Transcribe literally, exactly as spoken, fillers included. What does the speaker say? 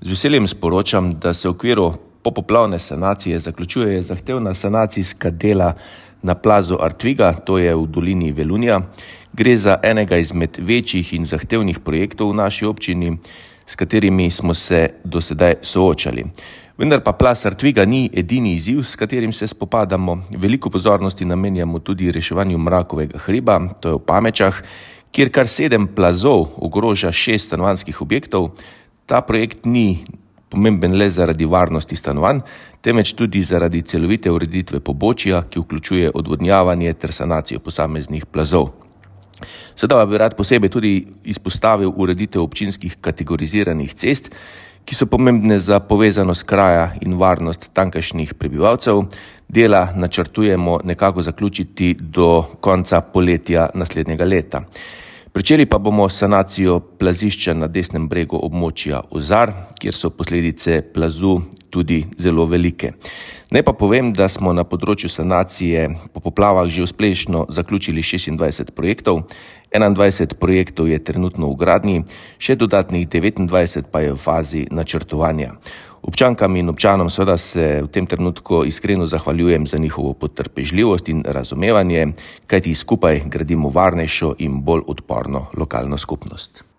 Z veseljem sporočam, da se v okviru popoplavne sanacije zaključuje zahtevna sanacijska dela na plazu Artviga, to je v dolini Velunja. Gre za enega izmed večjih in zahtevnih projektov v naši občini, s katerimi smo se do sedaj soočali. Vendar pa plaz Artviga ni edini izziv, s katerim se spopadamo. Veliko pozornosti namenjamo tudi reševanju Mrakovega hriba, to je v Pamečah, kjer kar sedem plazov ogroža šest stanovanjskih objektov. Ta projekt ni pomemben le zaradi varnosti stanovanj, temveč tudi zaradi celovite ureditve pobočja, ki vključuje odvodnjavanje ter sanacijo posameznih plazov. Sedaj bi rad posebej tudi izpostavil ureditev občinskih kategoriziranih cest, ki so pomembne za povezanost kraja in varnost tamkajšnjih prebivalcev. Dela načrtujemo nekako zaključiti do konca poletja naslednjega leta. Pričeli pa bomo sanacijo plazišča na desnem bregu območja Ozar, kjer so posledice plazu tudi zelo velike. Naj pa povem, da smo na področju sanacije po poplavah že uspešno zaključili šestindvajset projektov, enaindvajset projektov je trenutno v gradnji, še dodatnih devetindvajset pa je v fazi načrtovanja. Občankam in občanom seveda se v tem trenutku iskreno zahvaljujem za njihovo potrpežljivost in razumevanje, kajti skupaj gradimo varnejšo in bolj odporno lokalno skupnost.